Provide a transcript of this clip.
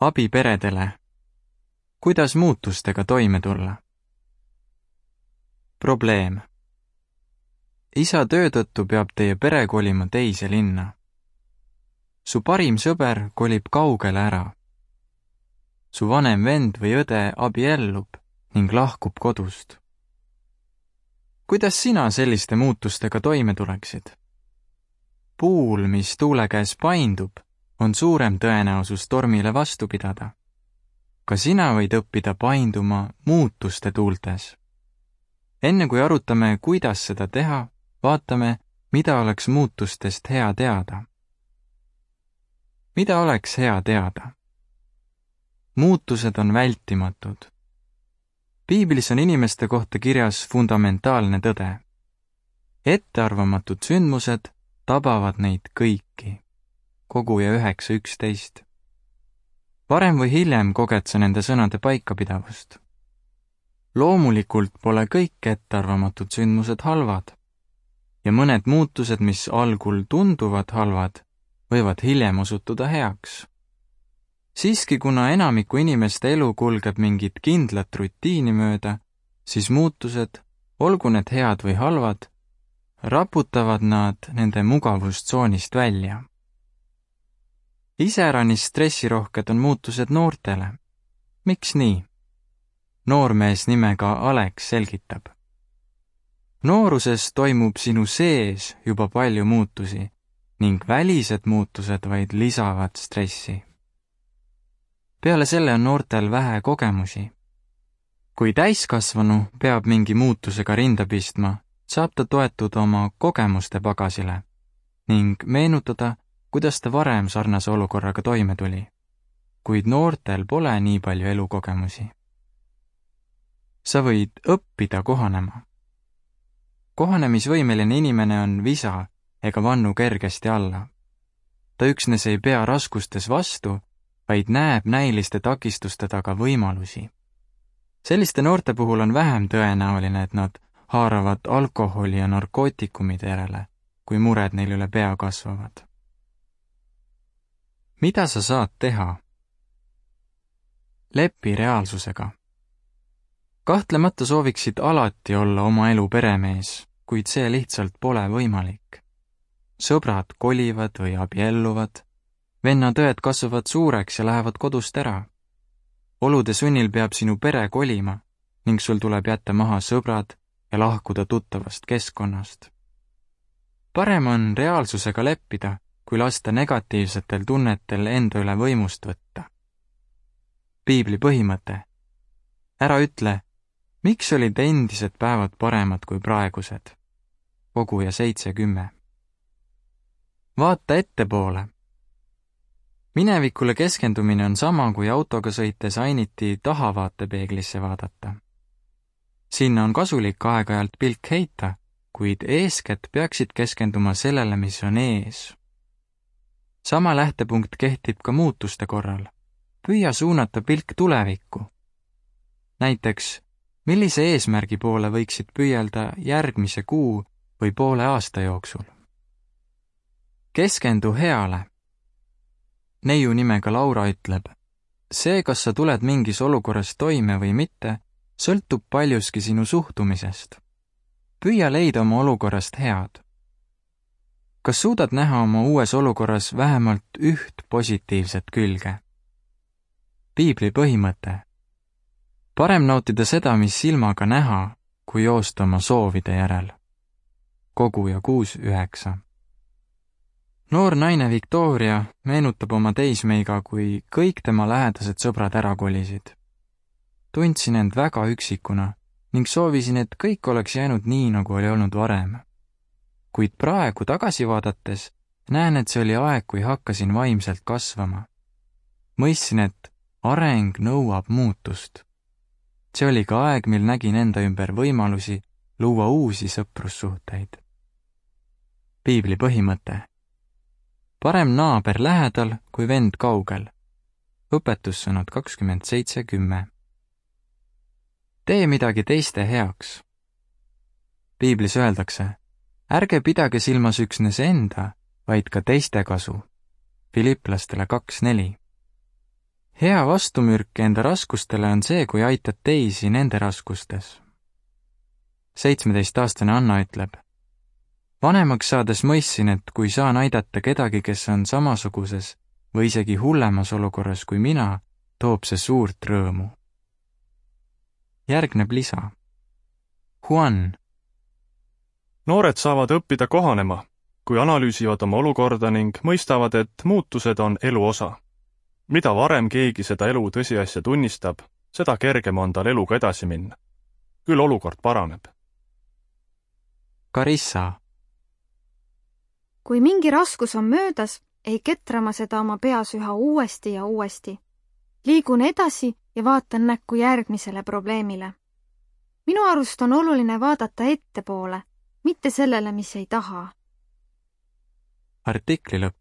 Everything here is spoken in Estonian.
Abi peredele. Kuidas muutustega toime tulla? Probleem. Isa töö tõttu peab teie pere kolima teise linna. Su parim sõber kolib kaugele ära. Su vanem vend või õde abiellub ning lahkub kodust. Kuidas sina selliste muutustega toime tuleksid? Puul, mis tuule käes paindub, on suurem tõenäosus tormile vastu pidada. Ka sina võid õppida painduma muutuste tuultes. Enne kui arutame, kuidas seda teha, vaatame, mida oleks muutustest hea teada. Mida oleks hea teada? Muutused on vältimatud. Piiblis on inimeste kohta kirjas fundamentaalne tõde. Ettearvamatud sündmused tabavad neid kõiki. Koguja 9:11. Varem või hiljem koged sa nende sõnade paikapidavust. Loomulikult pole kõik ettearvamatud sündmused halvad ja mõned muutused, mis algul tunduvad halvad, võivad hiljem osutuda heaks. Siiski, kuna enamiku inimeste elu kulgeb mingit kindlat rutiini mööda, siis muutused, olgu need head või halvad, raputavad nad nende mugavustsoonist välja. Iseäranis stressirohked on muutused noortele. Miks nii? Noormees nimega Alex selgitab. Nooruses toimub sinu sees juba palju muutusi ning välised muutused vaid lisavad stressi. Peale selle on noortel vähe kogemusi. Kui täiskasvanu peab mingi muutusega rinda pistma, saab ta toetuda oma kogemuste pagasile ning meenutada, kuidas ta varem sarnase olukorraga toime tuli. Kuid noortel pole nii palju elukogemusi. Sa võid õppida kohanema. Kohanemisvõimeline inimene on visa ega vannu kergesti alla. Ta üksnes ei pea raskustes vastu, vaid näeb näiliste takistuste taga võimalusi. Selliste noorte puhul on vähem tõenäoline, et nad haaravad alkoholi ja narkootikumide järele, kui mured neil üle pea kasvavad. Mida sa saad teha? Lepi reaalsusega. Kahtlemata sooviksid alati olla oma elu peremees, kuid see lihtsalt pole võimalik. Sõbrad kolivad või abielluvad, vennad-õed kasvavad suureks ja lähevad kodust ära. Olude sunnil peab sinu pere kolima ning sul tuleb jätta maha sõbrad ja lahkuda tuttavast keskkonnast. Parem on reaalsusega leppida, kui lasta negatiivsetel tunnetel enda üle võimust võtta. Piibli põhimõte. Ära ütle, miks olid endised päevad paremad kui praegused? Koguja 7:10. Vaata ettepoole. Minevikule keskendumine on sama, kui autoga sõites ainiti tahavaatepeeglisse vaadata. Sinna on kasulik aeg-ajalt pilk heita, kuid eeskätt peaksid keskenduma sellele, mis on ees. Sama lähtepunkt kehtib ka muutuste korral. Püüa suunata pilk tulevikku. Näiteks, millise eesmärgi poole võiksid püüelda järgmise kuu või poole aasta jooksul? Keskendu heale. Neiu nimega Laura ütleb, see, kas sa tuled mingis olukorras toime või mitte, sõltub paljuski sinu suhtumisest. Püüa leida oma olukorrast head. Kas suudad näha oma uues olukorras vähemalt üht positiivset külge? Piibli põhimõte. Parem nautida seda, mis silmaga näha, kui joosta oma soovide järel. Koguja 6:9. Noor naine Victoria meenutab oma teismeiga, kui kõik tema lähedased sõbrad ära kolisid. Tundsin end väga üksikuna ning soovisin, et kõik oleks jäänud nii, nagu oli olnud varem. Kuid praegu tagasi vaadates näen, et see oli aeg, kui hakkasin vaimselt kasvama. Mõistsin, et areng nõuab muutust. See oli ka aeg, mil nägin enda ümber võimalusi luua uusi sõprussuhteid. Piibli põhimõte. Parem naaber lähedal kui vend kaugel. Õpetussõnad 27:10. Tee midagi teiste heaks. Piiblis öeldakse, ärge pidage silmas üksnes enda, vaid ka teiste kasu. Filipplastele 2:4. hea vastumürk enda raskustele on see, kui aitad teisi nende raskustes. 17-aastane Anna ütleb: vanemaks saades mõistsin, et kui saan aidata kedagi, kes on samasuguses või isegi hullemas olukorras kui mina, toob see suurt rõõmu. Järgneb lisa. Juan. Noored saavad õppida kohanema, kui analüüsivad oma olukorda ning mõistavad, et muutused on elu osa. Mida varem keegi seda elu tõsiasja tunnistab, seda kergem on tal eluga edasi minna. Küll olukord paraneb. Carissa. Kui mingi raskus on möödas, ei ketra ma seda oma peas üha uuesti ja uuesti. Liigun edasi ja vaatan näkku järgmisele probleemile. Minu arust on oluline vaadata ettepoole, mitte sellele, mis ei taha. Artikli lõpp.